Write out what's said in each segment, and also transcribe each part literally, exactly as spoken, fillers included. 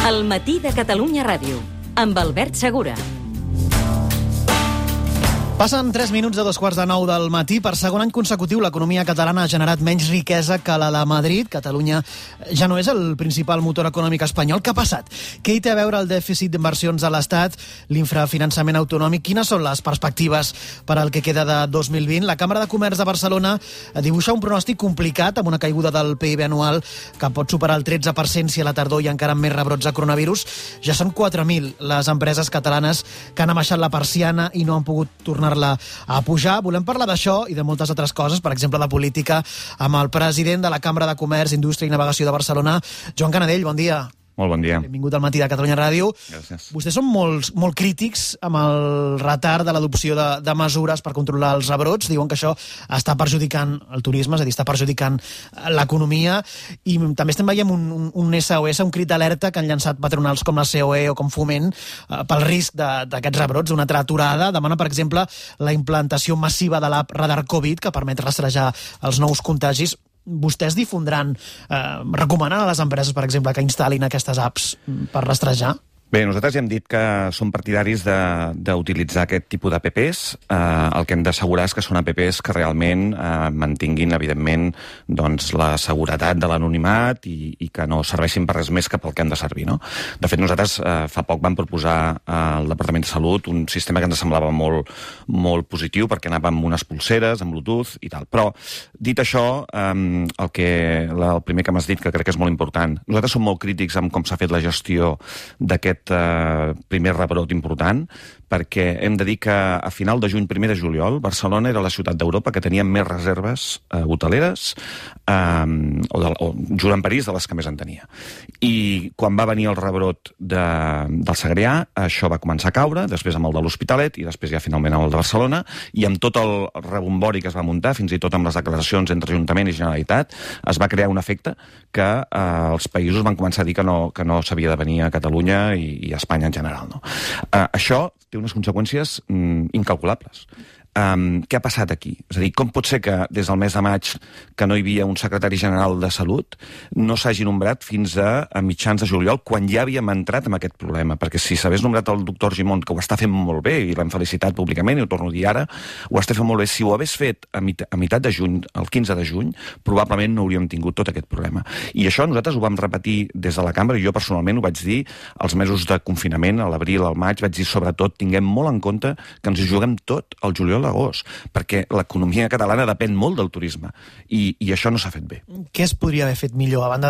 El matí de Catalunya Ràdio, amb Albert Segura. Passen tres minuts de dos quarts de nou del matí. Per segon any consecutiu, l'economia catalana ha generat menys riquesa que la de Madrid. Catalunya ja no és el principal motor econòmic espanyol. Què ha passat? Què hi té a veure el dèficit d'inversions a l'Estat, l'infrafinançament autonòmic? Quines són les perspectives per al que queda de dos mil vint? La Cambra de Comerç de Barcelona dibuixa un pronòstic complicat, amb una caiguda del P I B anual que pot superar el tretze per cent si a la tardor hi ha encara més rebrots de coronavirus. Ja són quatre mil les empreses catalanes que han abaixat la persiana i no han pogut tornar la a pujar. Volem parlar d'això i de moltes altres coses, per exemple de política, amb el president de la Cambra de Comerç, Indústria i Navegació de Barcelona, Joan Canadell. Bon dia. Molt bon dia. Benvingut al matí de Catalunya Ràdio. Gràcies. Vostès són molt, molt crítics amb el retard de l'adopció de, de mesures per controlar els rebrots. Diuen que això està perjudicant el turisme, és a dir, està perjudicant l'economia, i també estem veient un, un, un S O S, un crit d'alerta que han llançat patronals com la C O E o com Foment eh, pel risc d'aquests rebrots, una altra aturada. Demana, per exemple, la implantació massiva de l'app Radar Covid, que permet rastrejar els nous contagis. Vostès difondran, eh, recomanen a les empreses, per exemple, que instal·lin aquestes apps per rastrejar? Bé, nosaltres ja hem dit que som partidaris d'utilitzar aquest tipus d'A P Ps. Eh, el que hem d'assegurar és que són A P Ps que realment eh, mantinguin, evidentment, doncs, la seguretat de l'anonimat i, i que no serveixin per res més que pel que han de servir, no? De fet, nosaltres eh, fa poc vam proposar al Departament de Salut un sistema que ens semblava molt, molt positiu, perquè anava amb unes pulseres, amb Bluetooth i tal. Però, dit això, eh, el, que, el primer que m'has dit, que crec que és molt important, nosaltres som molt crítics amb com s'ha fet la gestió d'aquest Uh, primer rebrot important, perquè hem de dir que a final de juny, primer de juliol, Barcelona era la ciutat d'Europa que tenia més reserves uh, hoteleres um, o, de, o junt amb París de les que més en tenia. I quan va venir el rebrot de, del Segrià, això va començar a caure, després amb el de l'Hospitalet i després ja finalment amb el de Barcelona, i amb tot el rebombori que es va muntar, fins i tot amb les declaracions entre Ajuntament i Generalitat, es va crear un efecte que uh, els països van començar a dir que no, que no s'havia de venir a Catalunya i i a Espanya en general. No? Uh, això té unes conseqüències mm, incalculables. Um, què ha passat aquí? És a dir, com pot ser que des del mes de maig, que no hi havia un secretari general de Salut, no s'hagi nombrat fins a, a mitjans de juliol, quan ja havíem entrat en aquest problema? Perquè si s'hagués nombrat el doctor Argimon, que ho està fent molt bé, i l'hem felicitat públicament, i ho torno a dir ara, ho està fent molt bé. Si ho hagués fet a, mit a meitat de juny, el quinze de juny, probablement no hauríem tingut tot aquest problema. I això nosaltres ho vam repetir des de la cambra, i jo personalment ho vaig dir als mesos de confinament, a l'abril, al maig, vaig dir sobretot, tinguem molt en compte que ens hi juguem tot el juliol l'agost, perquè l'economia catalana depèn molt del turisme, i, i això no s'ha fet bé. Què es podria haver fet millor, a banda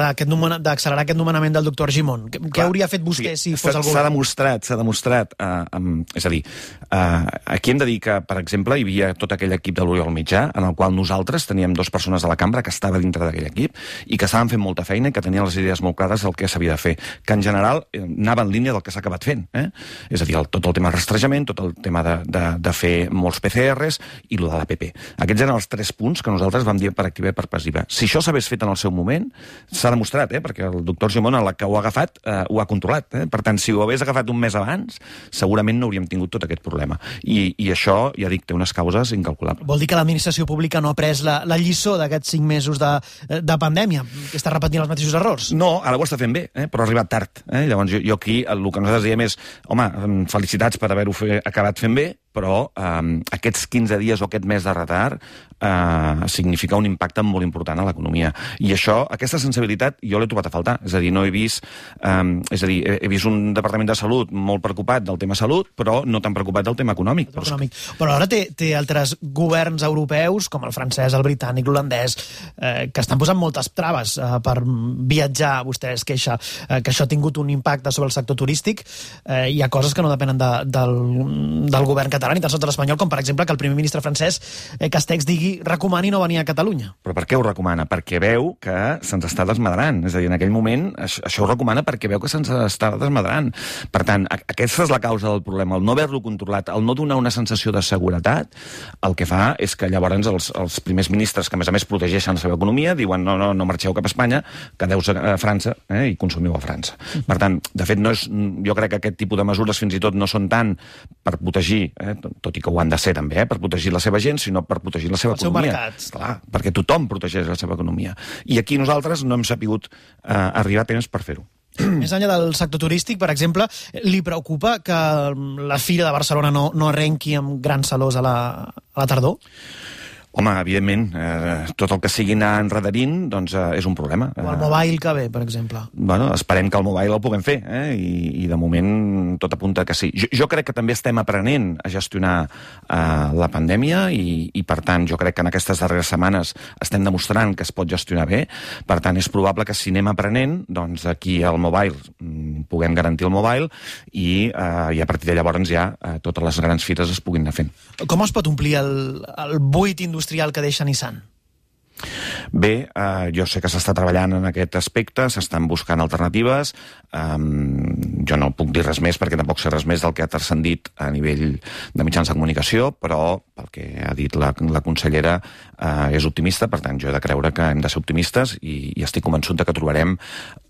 d'accelerar aquest nomenament del doctor Argimon? Què Clar, hauria fet vostè si fos el govern? S'ha demostrat, s'ha demostrat, uh, um, és a dir, uh, aquí hem de dir que, per exemple, hi havia tot aquell equip de l'Oriol Mitjà, en el qual nosaltres teníem dues persones de la cambra que estava dintre d'aquell equip, i que estaven fent molta feina i que tenien les idees molt clares del que s'havia de fer, que en general anava en línia del que s'ha acabat fent. Eh? És a dir, el, tot el tema de rastrejament, tot el tema de, de, de fer molts P C Rs, i el de l'A P P. Aquests eren els tres punts que nosaltres vam dir per activa i per passiva. Si això s'hagués fet en el seu moment, s'ha demostrat, eh? perquè el doctor Argimon, la que ho ha agafat, eh, ho ha controlat. Eh? Per tant, si ho hagués agafat un mes abans, segurament no hauríem tingut tot aquest problema. I, i això, ja dic, té unes causes incalculables. Vol dir que l'administració pública no ha pres la, la lliçó d'aquests cinc mesos de, de pandèmia, que està repetint els mateixos errors? No, ara ho està fent bé, eh? però ha arribat tard. Eh? Llavors, jo, jo aquí, el que nosaltres diem és, home, felicitats per haver-ho fe, acabat fent bé, però eh, aquests quinze dies o aquest mes de retard eh, significa un impacte molt important a l'economia. I això, aquesta sensibilitat, jo l'he trobat a faltar. És a dir, no he vist, eh, és a dir, he, he vist un Departament de Salut molt preocupat del tema salut, però no tan preocupat del tema econòmic. Però, econòmic. però ara té, té altres governs europeus, com el francès, el britànic, l'holandès, eh, que estan posant moltes traves eh, per viatjar. Vostè es queixa eh, que això ha tingut un impacte sobre el sector turístic. Eh, hi ha coses que no depenen de, del, del govern català, ni tan sols de l'espanyol, com per exemple que el primer ministre francès, eh, Castex, digui recomani no venir a Catalunya. Però per què ho recomana? Perquè veu que se'ns està desmadrant. És a dir, en aquell moment això ho recomana perquè veu que se'ns està desmadrant. Per tant, aquesta és la causa del problema. El no haver-lo controlat, el no donar una sensació de seguretat, el que fa és que llavors els, els primers ministres, que a més a més protegeixen la seva economia, diuen no, no, no marxeu cap a Espanya, quedeu a França eh, i consumiu a França. Per tant, de fet, no és, jo crec que aquest tipus de mesures fins i tot no són tant per protegir, eh, tot i que ho han de ser també, eh, per protegir la seva gent, sinó per protegir la seva el economia. Seu mercat. Clar, perquè tothom protegeix la seva economia. I aquí nosaltres no hem sapigut eh, arribar a temps per fer-ho. Més enllà del sector turístic, per exemple, li preocupa que la Fira de Barcelona no, no arrenqui amb grans salors a la, a la tardor? Home, evidentment, eh, tot el que sigui anar enredarint doncs, eh, és un problema. O el mobile que ve, per exemple. Bueno, esperem que el mobile el puguem fer, eh? I, i de moment tot apunta que sí. Jo, jo crec que també estem aprenent a gestionar eh, la pandèmia i, i, per tant, jo crec que en aquestes darreres setmanes estem demostrant que es pot gestionar bé. Per tant, és probable que si anem aprenent, doncs aquí al mobile mm, puguem garantir el mobile i, eh, i a partir de llavors ja eh, totes les grans fires es puguin anar fent. Com es pot omplir el, el buit industrial que deixa Nissan? Bé, eh, jo sé que s'està treballant en aquest aspecte, s'estan buscant alternatives. Um, jo no puc dir res més perquè tampoc sé res més del que ha transcendit a nivell de mitjans de comunicació, però pel que ha dit la, la consellera eh, és optimista, per tant jo he de creure que hem de ser optimistes i, i estic convençut que trobarem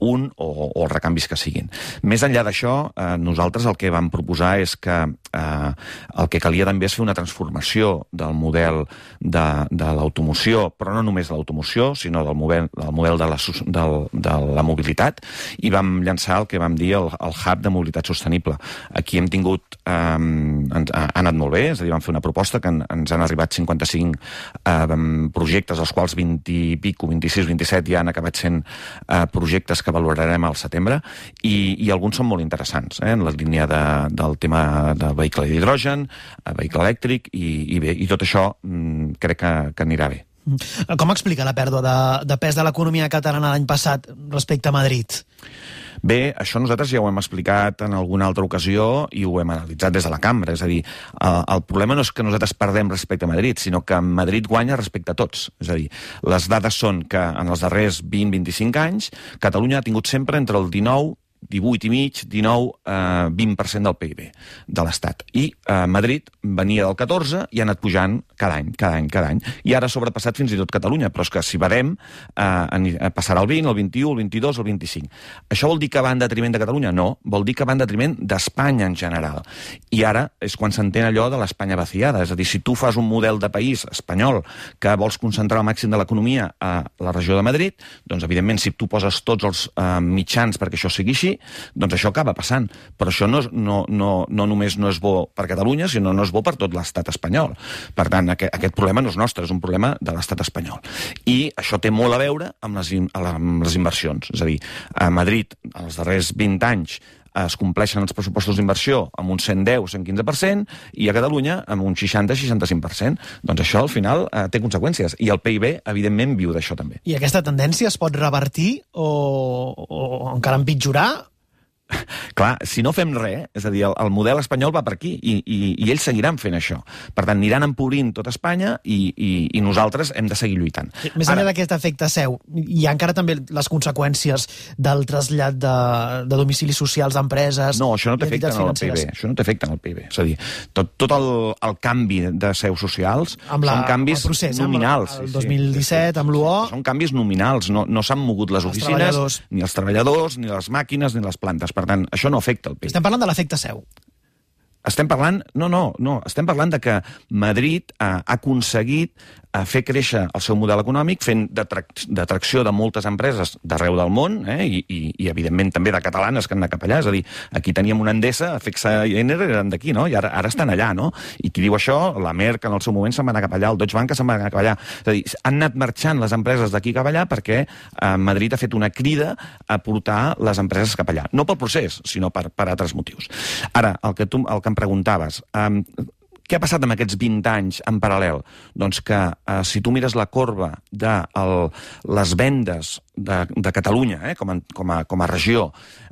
un o, o els recanvis que siguin. Més enllà d'això, eh, nosaltres el que vam proposar és que eh, el que calia també és fer una transformació del model de, de l'automoció, però no només de l'automoció, sinó del model, del model de, la, del, de la mobilitat, i vam llançar el que vam dir el, el hub de mobilitat sostenible. Aquí hem tingut, eh, ens, ha anat molt bé, és a dir, vam fer una proposta que en, ens han arribat cinquanta-cinc eh, projectes, els quals vint i pico, vint-i-sis, vint-i-set ja han acabat sent eh, projectes que valorarem al setembre, i, i alguns són molt interessants, eh, en la línia de, del tema del vehicle d'hidrogen, vehicle elèctric, i, i bé, i tot això mm, crec que, que anirà bé. Com explica la pèrdua de, de pes de l'economia catalana l'any passat respecte a Madrid? Bé, això nosaltres ja ho hem explicat en alguna altra ocasió i ho hem analitzat des de la cambra. És a dir, el, el problema no és que nosaltres perdem respecte a Madrid, sinó que Madrid guanya respecte a tots. És a dir, les dades són que en els darrers vint a vint-i-cinc anys Catalunya ha tingut sempre entre el dinou, divuit i mig, dinou, eh, vint per cent del P I B de l'Estat. I eh, Madrid venia del catorze i ha anat pujant cada any, cada any, cada any. I ara ha sobrepassat fins i tot Catalunya, però és que si badem eh, passarà el vint, el vint-i-u, el vint-i-dos, el vint-i-cinc. Això vol dir que va en detriment de Catalunya? No, vol dir que va en detriment d'Espanya en general. I ara és quan s'entén allò de l'Espanya vaciada. És a dir, si tu fas un model de país espanyol que vols concentrar el màxim de l'economia a la regió de Madrid, doncs evidentment si tu poses tots els eh, mitjans perquè això sigui així, doncs això acaba passant. Però això no, no, no, no només no és bo per Catalunya, sinó no és bo per tot l'estat espanyol. Per tant, aquest, aquest problema no és nostre, és un problema de l'estat espanyol. I això té molt a veure amb les, amb les inversions. És a dir, a Madrid, els darrers vint anys, es compleixen els pressupostos d'inversió amb un cent deu, cent quinze per cent, i a Catalunya amb un seixanta, seixanta-cinc per cent. Doncs això, al final, eh, té conseqüències. I el P I B, evidentment, viu d'això també. I aquesta tendència es pot revertir o, o encara empitjorar? Clar, si no fem res, és a dir, el, el model espanyol va per aquí i, i, i ells seguiran fent això. Per tant, aniran empobrint tot Espanya i, i, i nosaltres hem de seguir lluitant. Més enllà d'aquest efecte seu, hi ha encara també les conseqüències del trasllat de, de domicilis socials d'empreses... No, això no t'afecta en el P I B. Això no t'afecta en el P I B. És a dir, tot, tot el, el canvi de seus socials amb la, són canvis procés, nominals. El dos mil disset, amb l'U O... Són canvis nominals. No, no s'han mogut les oficines, ni els treballadors, ni les màquines, ni les plantes. Per tant, això no afecta el P I B. Estem parlant de l'efecte seu. Estem parlant... No, no, no. Estem parlant de que Madrid ha aconseguit a fer créixer el seu model econòmic fent d'atracció de moltes empreses d'arreu del món, eh? I, i, i evidentment també de catalanes que han anat cap allà. És a dir, aquí teníem una Endesa, Fexa i Ener eren d'aquí, no? I ara, ara estan allà, no? I qui diu això, la Merck en el seu moment se'n va anar cap allà, el Deutsche Bank se'n va anar cap allà. És a dir, han anat marxant les empreses d'aquí cap allà perquè eh, Madrid ha fet una crida a portar les empreses cap allà. No pel procés, sinó per, per altres motius. Ara, el que, tu, el que em preguntaves... Eh, Què ha passat amb aquests vint anys en paral·lel? Doncs que eh, si tu mires la corba de el, les vendes de, de Catalunya eh, com, a, com, a, com a regió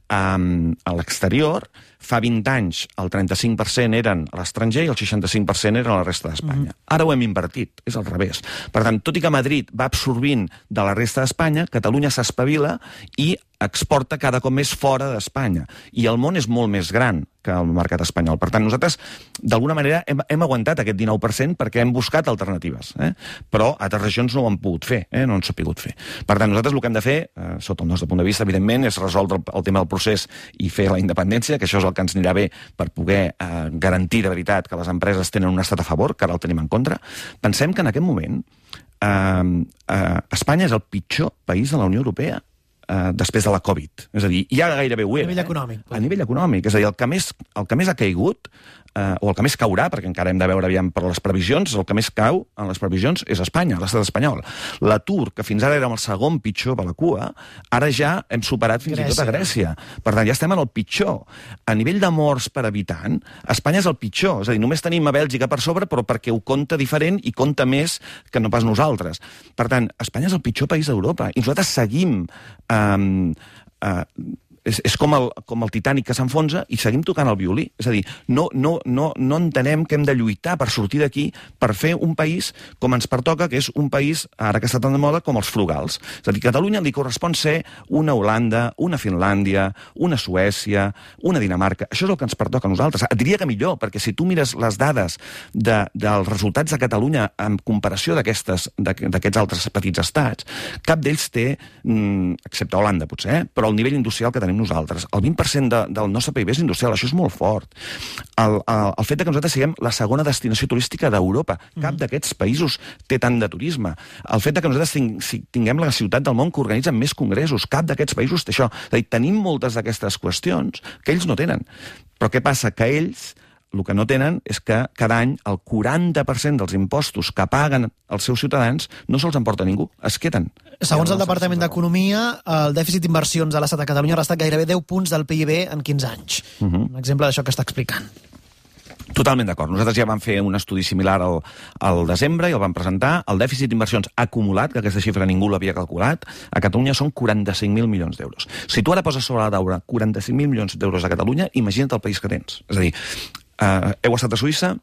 eh, a l'exterior, fa vint anys el trenta-cinc per cent eren a l'estranger i el seixanta-cinc per cent eren a la resta d'Espanya. Mm-hmm. Ara ho hem invertit, és al revés. Per tant, tot i que Madrid va absorbint de la resta d'Espanya, Catalunya s'espavila i exporta cada cop més fora d'Espanya. I el món és molt més gran que el mercat espanyol. Per tant, nosaltres, d'alguna manera, hem, hem aguantat aquest dinou per cent perquè hem buscat alternatives. Eh? Però altres regions no ho han pogut fer, eh? no han sapigut fer. Per tant, nosaltres el que hem de fer, eh, sota el nostre punt de vista, evidentment, és resoldre el, el tema del procés i fer la independència, que això és el que ens anirà bé per poder eh, garantir de veritat que les empreses tenen un estat a favor, que ara el tenim en contra. Pensem que en aquest moment eh, eh, Espanya és el pitjor país de la Unió Europea. eh, després de la Covid. És a dir, ja gairebé ho era. A nivell econòmic. Eh? A nivell econòmic. És a dir, el que més, el que més ha caigut, eh, o el que més caurà, perquè encara hem de veure aviam per les previsions, el que més cau en les previsions és Espanya, l'estat espanyol. L'atur, que fins ara érem el segon pitjor per la cua, ara ja hem superat fins Grècia. i tot a Grècia. Per tant, ja estem en el pitjor. A nivell de morts per habitant, Espanya és el pitjor. És a dir, només tenim a Bèlgica per sobre, però perquè ho compta diferent i compta més que no pas nosaltres. Per tant, Espanya és el pitjor país d'Europa. I nosaltres seguim... Eh, eh, És, és com, el, com el Titanic que s'enfonsa i seguim tocant el violí. És a dir, no, no, no, no entenem que hem de lluitar per sortir d'aquí, per fer un país com ens pertoca, que és un país, ara que està tan de moda, com els frugals. És a dir, a Catalunya li correspon ser una Holanda, una Finlàndia, una Suècia, una Dinamarca. Això és el que ens pertoca a nosaltres. Et diria que millor, perquè si tu mires les dades de, dels resultats de Catalunya en comparació d'aquests altres petits estats, cap d'ells té, excepte Holanda potser, eh, però el nivell industrial que tenim nosaltres. El vint per cent de, del nostre P I B és industrial, això és molt fort. El, el, el fet que nosaltres siguem la segona destinació turística d'Europa. Cap mm. d'aquests països té tant de turisme. El fet que nosaltres ting, tinguem la ciutat del món que organitza més congressos. Cap d'aquests països té això. És a dir, tenim moltes d'aquestes qüestions que ells no tenen. Però què passa? Que ells el que no tenen és que cada any el quaranta per cent dels impostos que paguen els seus ciutadans no se'ls emporta ningú, es queden. Segons el Departament d'Economia, el dèficit d'inversions a l'estat de Catalunya ha restat gairebé deu punts del P I B en quinze anys. Uh -huh. Un exemple d'això que està explicant. Totalment d'acord. Nosaltres ja vam fer un estudi similar al, al desembre i el vam presentar. El dèficit d'inversions acumulat, que aquesta xifra ningú l'havia calculat, a Catalunya són quaranta-cinc mil milions d'euros. Si tu ara poses sobre la taula quaranta-cinc mil milions d'euros a Catalunya, imagina't el país que tens. És a dir, Uh, heu estat a Suïssa,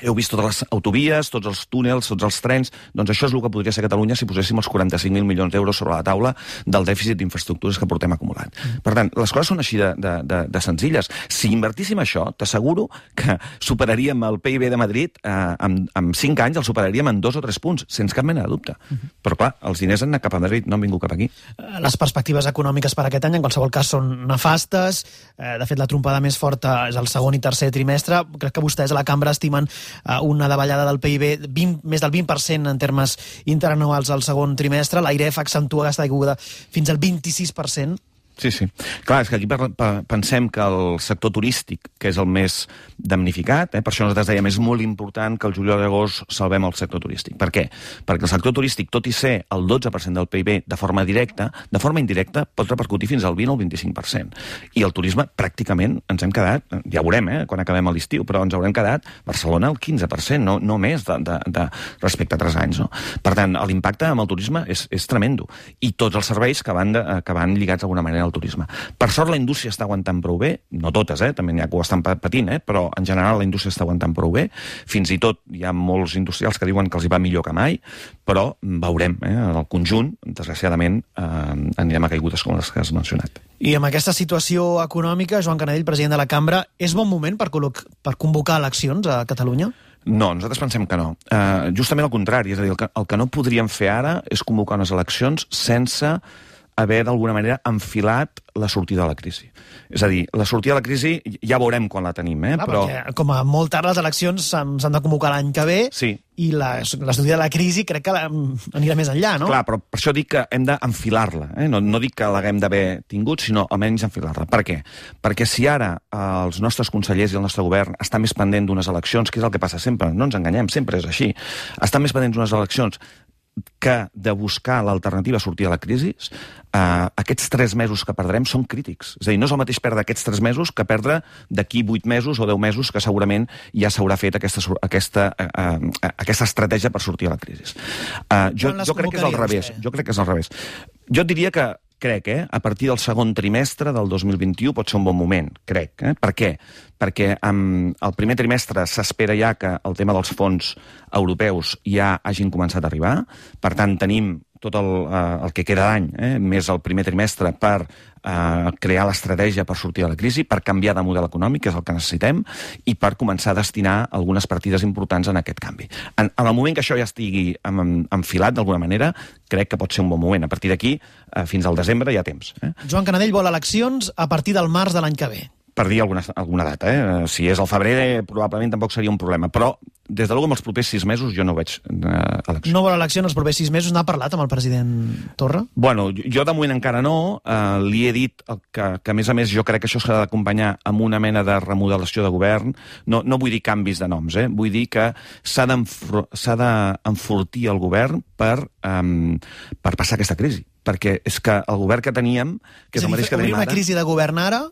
heu vist totes les autovies, tots els túnels, tots els trens, doncs això és el que podria ser Catalunya si poséssim els quaranta-cinc mil milions d'euros sobre la taula del dèficit d'infraestructures que portem acumulat. Mm. Per tant, les coses són així de, de, de, de senzilles. Si invertíssim això, t'asseguro que superaríem el P I B de Madrid eh, en, en cinc anys, el superaríem en dos o tres punts, sense cap mena de dubte. Mm -hmm. Però clar, els diners han anat cap a Madrid, no han vingut cap aquí. Les perspectives econòmiques per aquest any, en qualsevol cas, són nefastes. Eh, de fet, la trompada més forta és el segon i tercer trimestre. Crec que vostès a la cambra estimen eh, una davallada del P I B vint, més del vint per cent en termes interanuals al segon trimestre. L'Airef accentua aquesta caiguda fins al vint-i-sis per cent. Sí, sí. Clar, és que aquí pensem que el sector turístic, que és el més damnificat, eh, per això nosaltres dèiem és molt important que el juliol i agost salvem el sector turístic. Per què? Perquè el sector turístic, tot i ser el dotze per cent del P I B de forma directa, de forma indirecta pot repercutir fins al vint o el vint-i-cinc per cent. I el turisme, pràcticament, ens hem quedat, ja veurem, eh, quan acabem l'estiu, però ens haurem quedat Barcelona el quinze per cent, no, no més de, de, de respecte a tres anys. No? Per tant, l'impacte amb el turisme és, és tremendo. I tots els serveis que van, de, que van lligats d'alguna manera al turisme. Per sort la indústria està aguantant prou bé, no totes, eh? també n'hi ha que ho estan patint, eh? però en general la indústria està aguantant prou bé, fins i tot hi ha molts industrials que diuen que els hi va millor que mai, però veurem, eh? en el conjunt, desgraciadament, eh, anirem a caigudes com les que has mencionat. I amb aquesta situació econòmica, Joan Canadell, president de la Cambra, és bon moment per, per convocar eleccions a Catalunya? No, nosaltres pensem que no. Uh, justament al contrari, és a dir, el que, el que no podríem fer ara és convocar unes eleccions sense haver d'alguna manera enfilat la sortida de la crisi. És a dir, la sortida de la crisi ja veurem quan la tenim, eh? Clar, però... perquè, com a molt tard les eleccions s'han de convocar l'any que ve, sí. i la, la sortida de la crisi crec que la, anirà més enllà, no? Clar, però per això dic que hem d'enfilar-la. Eh? No, no dic que l'haguem d'haver tingut, sinó almenys enfilar-la. Per què? Perquè si ara eh, els nostres consellers i el nostre govern estan més pendent d'unes eleccions, que és el que passa sempre, no ens enganyem, sempre és així, estan més pendents d'unes eleccions que de buscar l'alternativa a sortir de la crisi, eh, aquests tres mesos que perdrem són crítics. És a dir, no és el mateix perdre aquests tres mesos que perdre d'aquí vuit mesos o deu mesos que segurament ja s'haurà fet aquesta, aquesta, eh, aquesta estratègia per sortir de la crisi. Eh, jo, jo crec que és al revés. Jo crec que és al revés. Jo et diria que crec, eh, a partir del segon trimestre del dos mil vint-i-u pot ser un bon moment, crec. Eh? Per què? Perquè amb el primer trimestre s'espera ja que el tema dels fons europeus ja hagin començat a arribar. Per tant, tenim tot el, eh, el que queda d'any, eh, més el primer trimestre, per eh, crear l'estratègia per sortir de la crisi, per canviar de model econòmic, que és el que necessitem, i per començar a destinar algunes partides importants en aquest canvi. En, en el moment que això ja estigui enfilat d'alguna manera, crec que pot ser un bon moment. A partir d'aquí, eh, fins al desembre hi ha temps. Eh? Joan Canadell vol eleccions a partir del març de l'any que ve. per dir alguna, alguna data. Eh? Si és al febrer, probablement tampoc seria un problema. Però, des de l'algú, amb els propers sis mesos, jo no veig eh, elecció. No vol elecció en els propers sis mesos? N'ha parlat amb el president Torra? Bueno, jo de moment encara no. Eh, li he dit que, que, a més a més, jo crec que això s'ha d'acompanyar amb una mena de remodelació de govern. No, no vull dir canvis de noms, eh? Vull dir que s'ha d'enfortir el govern per, um, per passar aquesta crisi. Perquè és que el govern que teníem, que és, és el mateix que tenim ara... una crisi de govern ara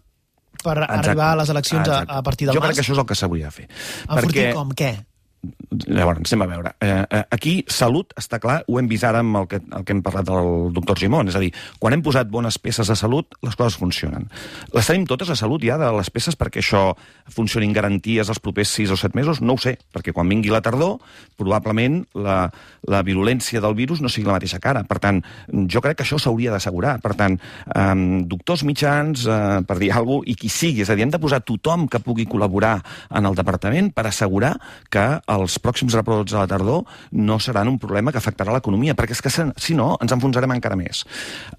per exacte, arribar a les eleccions a, a partir del jo març? Jo crec que això és el que s'hauria de fer. Enfortir perquè... com? Què? Llavors, anem a veure. Eh, aquí, salut, està clar, ho hem vist ara amb el que, el que hem parlat del doctor Gimón. És a dir, quan hem posat bones peces a salut, les coses funcionen. Les tenim totes a salut ja, de les peces, perquè això funcionin garanties els propers sis o set mesos? No ho sé, perquè quan vingui la tardor, probablement la, la virulència del virus no sigui la mateixa cara. Per tant, jo crec que això s'hauria d'assegurar. Per tant, eh, doctors mitjans, eh, per dir alguna cosa, i qui sigui, és a dir, hem de posar tothom que pugui col·laborar en el departament per assegurar que els pròxims rebrots a la tardor no seran un problema que afectarà l'economia, perquè és que, si no, ens enfonsarem encara més.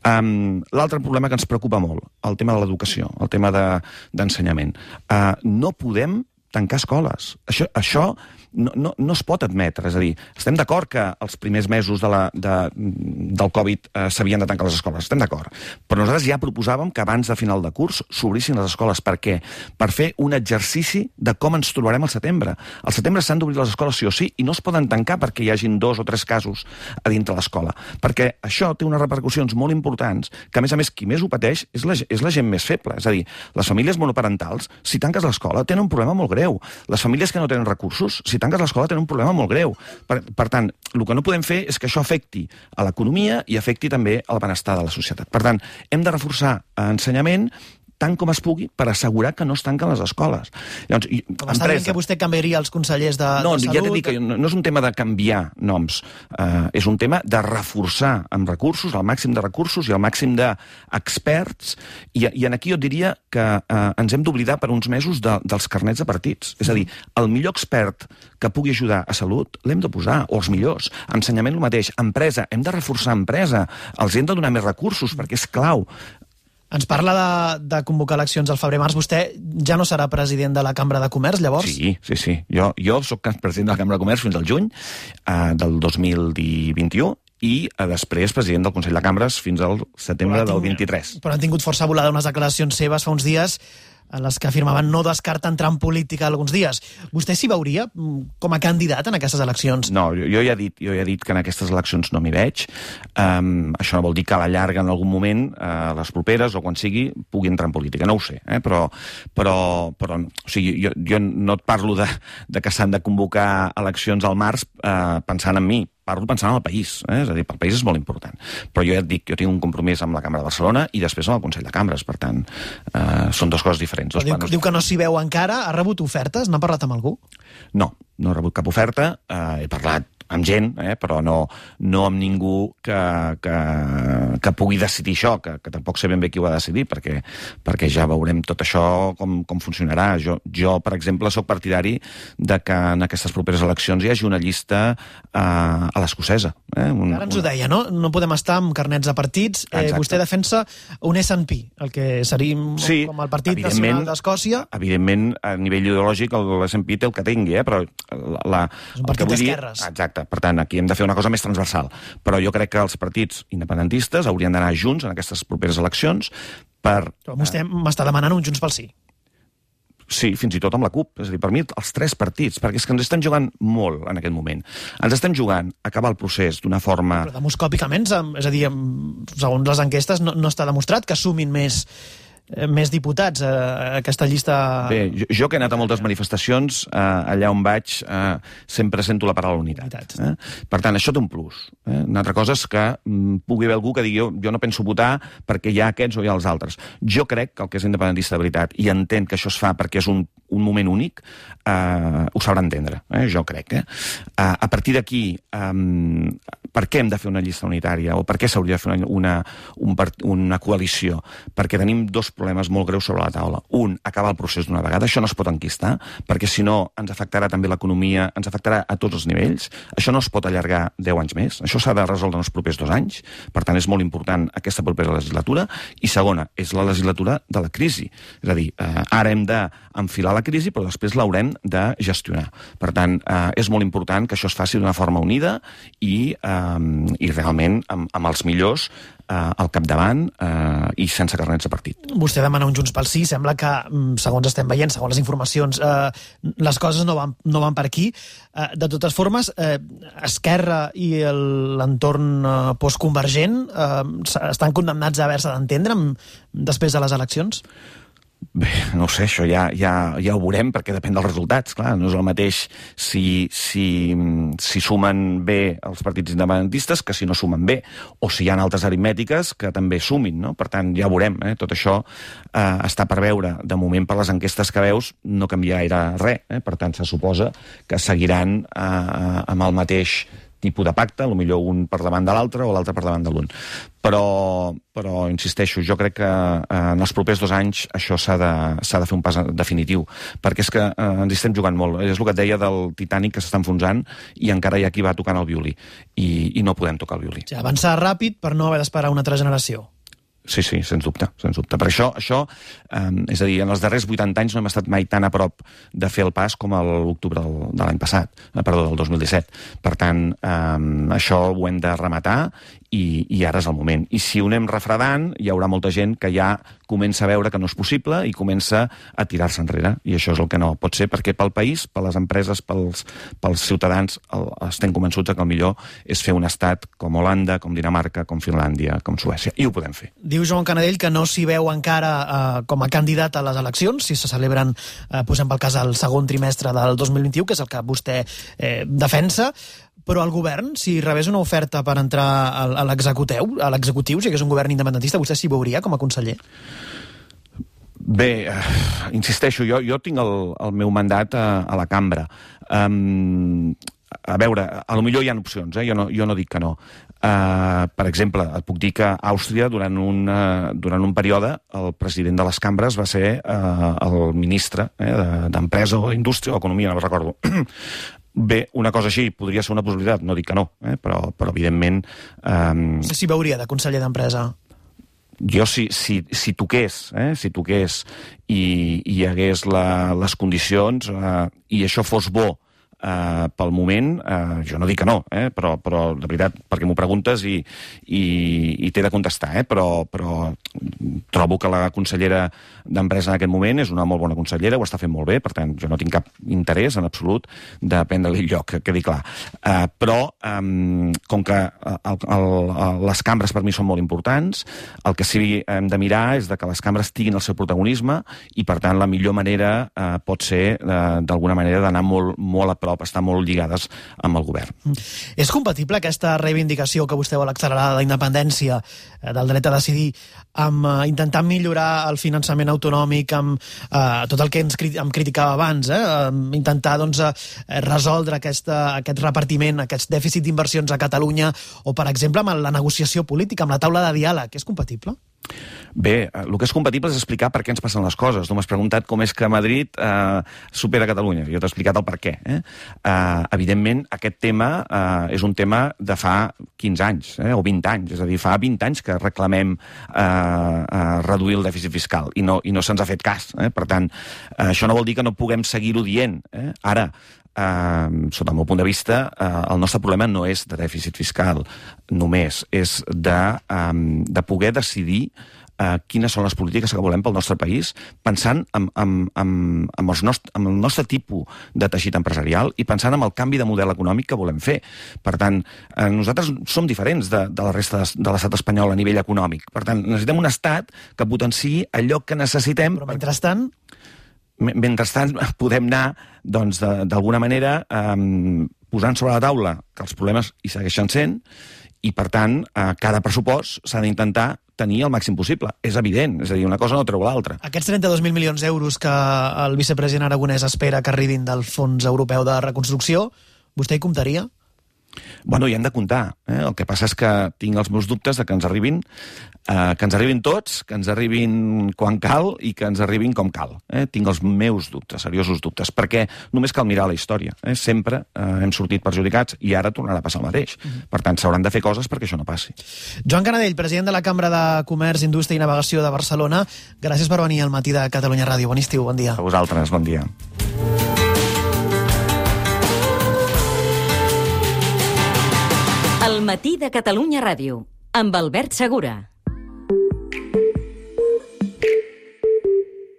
Um, L'altre problema que ens preocupa molt, el tema de l'educació, el tema d'ensenyament. De, uh, no podem tancar escoles. Això, això no, no, no es pot admetre. És a dir, estem d'acord que els primers mesos de la, de, del Covid eh, s'havien de tancar les escoles. Estem d'acord. Però nosaltres ja proposàvem que abans de final de curs s'obrissin les escoles. Per què? Per fer un exercici de com ens trobarem al setembre. Al setembre s'han d'obrir les escoles sí o sí i no es poden tancar perquè hi hagin dos o tres casos a dintre l'escola. Perquè això té unes repercussions molt importants que, a més a més, qui més ho pateix és la, és la gent més feble. És a dir, les famílies monoparentals, si tanques l'escola, tenen un problema molt greu. Les famílies que no tenen recursos, si tanques l'escola, tenen un problema molt greu. Per, per tant, el que no podem fer és que això afecti a l'economia i afecti també al benestar de la societat. Per tant, hem de reforçar ensenyament tant com es pugui per assegurar que no es tanquen les escoles. Llavors, i, com està dient que vostè canviaria els consellers de, no, de salut? No, ja t'he dit que no, no és un tema de canviar noms, uh, és un tema de reforçar amb recursos, el màxim de recursos i el màxim d'experts, i, i aquí jo et diria que uh, ens hem d'oblidar per uns mesos de, dels carnets de partits. És a dir, el millor expert que pugui ajudar a salut l'hem de posar, o els millors. Ensenyament el mateix. Empresa, hem de reforçar empresa. Els hem de donar més recursos, perquè és clau. Ens parla de, de convocar eleccions al febrer-març. Vostè ja no serà president de la Cambra de Comerç, llavors? Sí, sí, sí. Jo, jo soc president de la Cambra de Comerç fins al juny eh, del dos mil vint-i-u i eh, després president del Consell de Cambres fins al setembre del vint-i-tres. Però han tingut força volada unes declaracions seves fa uns dies en les que afirmaven no descarta entrar en política alguns dies. Vostè s'hi veuria com a candidat en aquestes eleccions? No, jo, jo, ja he dit, jo ja he dit que en aquestes eleccions no m'hi veig. Um, això no vol dir que a la llarga en algun moment, uh, les properes o quan sigui, pugui entrar en política. No ho sé, eh? però, però, però o sigui, jo, jo no et parlo de, de que s'han de convocar eleccions al març uh, pensant en mi. Parlo pensant en el país, eh? És a dir, pel país és molt important. Però jo ja et dic, jo tinc un compromís amb la Cambra de Barcelona i després amb el Consell de Cambres, per tant, eh, són dues coses diferents. Dos diu, diu que no s'hi veu encara, ha rebut ofertes? N'ha parlat amb algú? No, no he rebut cap oferta, eh, he parlat amb gent, eh, però no, no amb ningú que, que, que pugui decidir això, que, que tampoc sé ben bé qui ho ha de decidir, perquè, perquè ja veurem tot això com, com funcionarà. Jo, jo, per exemple, sóc partidari de que en aquestes properes eleccions hi hagi una llista eh, a l'escocesa. Eh? Un, Ara ens ho deia, no? No podem estar amb carnets de partits. Eh, vostè defensa un S and P, el que seria sí, com el Partit Nacional d'Escòcia. Evidentment, a nivell ideològic, l'S and P té el que tingui, eh? Però la, la, és un partit d'esquerres. Exacte. Per tant, aquí hem de fer una cosa més transversal. Però jo crec que els partits independentistes haurien d'anar junts en aquestes properes eleccions per... Però vostè m'està demanant un Junts pel Sí. Sí, fins i tot amb la CUP. És a dir, per mi, els tres partits, perquè és que ens estem jugant molt en aquest moment. Ens estem jugant a acabar el procés d'una forma... Però demoscòpicament, és a dir, segons les enquestes, no, no està demostrat que sumin més... més diputats a aquesta llista... Bé, jo, jo que he anat a moltes manifestacions, eh, allà on vaig eh, sempre sento la paraula unitat. Eh? Per tant, això té un plus. Eh? Una altra cosa és que mm, pugui haver algú que digui jo, jo no penso votar perquè hi ha aquests o hi ha els altres. Jo crec que el que és independentista de veritat i entén que això es fa perquè és un, un moment únic, eh, ho sabrà entendre. Eh? Jo crec. Eh? Eh, a partir d'aquí, eh, per què hem de fer una llista unitària o per què s'hauria de fer una, una, un, una coalició? Perquè tenim dos problemes molt greus sobre la taula. Un, acabar el procés d'una vegada. Això no es pot enquistar, perquè si no ens afectarà també l'economia, ens afectarà a tots els nivells. Això no es pot allargar deu anys més. Això s'ha de resoldre en els propers dos anys. Per tant, és molt important aquesta propera legislatura. I segona, és la legislatura de la crisi. És a dir, eh, ara hem d'enfilar la crisi, però després l'haurem de gestionar. Per tant, eh, és molt important que això es faci d'una forma unida i, eh, i realment amb, amb els millors eh, al capdavant eh, i sense carnets de partit. Vostè demana un Junts pel Sí, sembla que, segons estem veient, segons les informacions, eh, les coses no van, no van per aquí. Eh, de totes formes, eh, Esquerra i l'entorn eh, postconvergent eh, estan condemnats a haver-se d'entendre després de les eleccions? Bé, no ho sé, això ja, ja, ja ho veurem, perquè depèn dels resultats. Clar, no és el mateix si, si, si sumen bé els partits independentistes que si no sumen bé, o si hi ha altres aritmètiques que també sumin, no? Per tant, ja ho veurem. Eh? Tot això eh, està per veure. De moment, per les enquestes que veus, no canvia gaire res. Eh? Per tant, se suposa que seguiran eh, amb el mateix tipus de pacte, potser un per davant de l'altre o l'altre per davant de l'un. Però, però, insisteixo, jo crec que eh, en els propers dos anys això s'ha de, s'ha de fer un pas definitiu, perquè és que eh, ens estem jugant molt. És el que et deia del Titanic, que s'està enfonsant i encara hi ha qui va tocant el violí, i, i no podem tocar el violí. Sí, avançar ràpid per no haver d'esperar una altra generació. Sí, sí, sens dubte, sens dubte. Per això, això eh, és a dir, en els darrers vuitanta anys no hem estat mai tan a prop de fer el pas com a l'octubre del, de l'any passat, eh, perdó, del dos mil disset. Per tant, eh, això ho hem de rematar i, i ara és el moment. I si ho anem refredant, hi haurà molta gent que ja comença a veure que no és possible i comença a tirar-se enrere. I això és el que no pot ser, perquè pel país, per les empreses, pels, pels ciutadans, el, estem convençuts que el millor és fer un estat com Holanda, com Dinamarca, com Finlàndia, com Suècia. I ho podem fer. Diu Joan Canadell que no s'hi veu encara eh, com a candidat a les eleccions, si se celebren, eh, posem pel cas, el segon trimestre del dos mil vint-i-u, que és el que vostè eh, defensa, però el govern, si rebés una oferta per entrar a l'executiu, a l'executiu, si hagués un govern independentista, vostè s'hi veuria com a conseller? Bé, uh, insisteixo, jo, jo tinc el, el meu mandat a, a la cambra. Um, a veure, a lo millor hi ha opcions, eh? jo, no, jo no dic que no. Uh, per exemple, et puc dir que a Àustria, durant un, uh, durant un període, el president de les cambres va ser uh, el ministre eh, d'Empresa o Indústria o Economia, no recordo. Bé, una cosa així podria ser una possibilitat, no dic que no, eh? però, però evidentment... Um... S'hi veuria de conseller d'Empresa? Jo, si, si, si toqués, eh? si toqués i, i hi hagués la, les condicions eh, i això fos bo Uh, pel moment, uh, jo no dic que no, eh? però, però de veritat, perquè m'ho preguntes i, i, i t'he de contestar, eh? però, però trobo que la consellera d'Empresa en aquest moment és una molt bona consellera, ho està fent molt bé, per tant, jo no tinc cap interès en absolut de prendre-li lloc, que quedi clar. Uh, però, um, com que el, el, el, les cambres per mi són molt importants, el que sí hem de mirar és de que les cambres tinguin el seu protagonisme i, per tant, la millor manera uh, pot ser, uh, d'alguna manera, d'anar molt, molt a prop, estar molt lligades amb el govern. És compatible aquesta reivindicació que vostè vol accelerar de la independència, del dret a decidir, amb uh, intentar millorar el finançament autonòmic, amb uh, tot el que ens cri em criticava abans, eh? uh, intentar doncs, uh, resoldre aquesta, aquest repartiment, aquest dèficit d'inversions a Catalunya, o, per exemple, amb la negociació política, amb la taula de diàleg. És compatible? Bé, el que és compatible és explicar per què ens passen les coses. Tu m'has preguntat com és que Madrid eh, supera Catalunya. Jo t'he explicat el per què. Eh? Eh, evidentment, aquest tema eh, és un tema de fa quinze anys, eh, o vint anys. És a dir, fa vint anys que reclamem eh, eh, reduir el dèficit fiscal i no, i no se'ns ha fet cas. Eh? Per tant, eh, això no vol dir que no puguem seguir-ho dient. Eh? Ara, Uh, sota el meu punt de vista, uh, el nostre problema no és de dèficit fiscal només, és de, um, de poder decidir uh, quines són les polítiques que volem pel nostre país, pensant en, en, en, en, els nostre, en el nostre tipus de teixit empresarial i pensant en el canvi de model econòmic que volem fer. Per tant, uh, nosaltres som diferents de, de la resta de, de l'estat espanyol a nivell econòmic. Per tant, necessitem un estat que potenciï allò que necessitem. Però mentrestant... Mentrestant, podem anar, doncs, d'alguna manera, eh, posant sobre la taula que els problemes hi segueixen sent i, per tant, eh, cada pressupost s'ha d'intentar tenir el màxim possible. És evident, és a dir, una cosa no treu l'altra. Aquests trenta-dos mil milions d'euros que el vicepresident Aragonès espera que arribin del Fons Europeu de Reconstrucció, vostè hi comptaria? Bueno, hi hem de comptar. Eh? El que passa és que tinc els meus dubtes de que ens arribin, eh, que ens arribin tots, que ens arribin quan cal i que ens arribin com cal. Eh? Tinc els meus dubtes, seriosos dubtes, perquè només cal mirar la història. Eh? Sempre eh, hem sortit perjudicats i ara tornarà a passar el mateix. Uh-huh. Per tant, s'hauran de fer coses perquè això no passi. Joan Canadell, president de la Cambra de Comerç, Indústria i Navegació de Barcelona, gràcies per venir al Matí de Catalunya Ràdio. Bon estiu, bon dia. A vosaltres, bon dia. El Matí de Catalunya Ràdio, amb Albert Segura.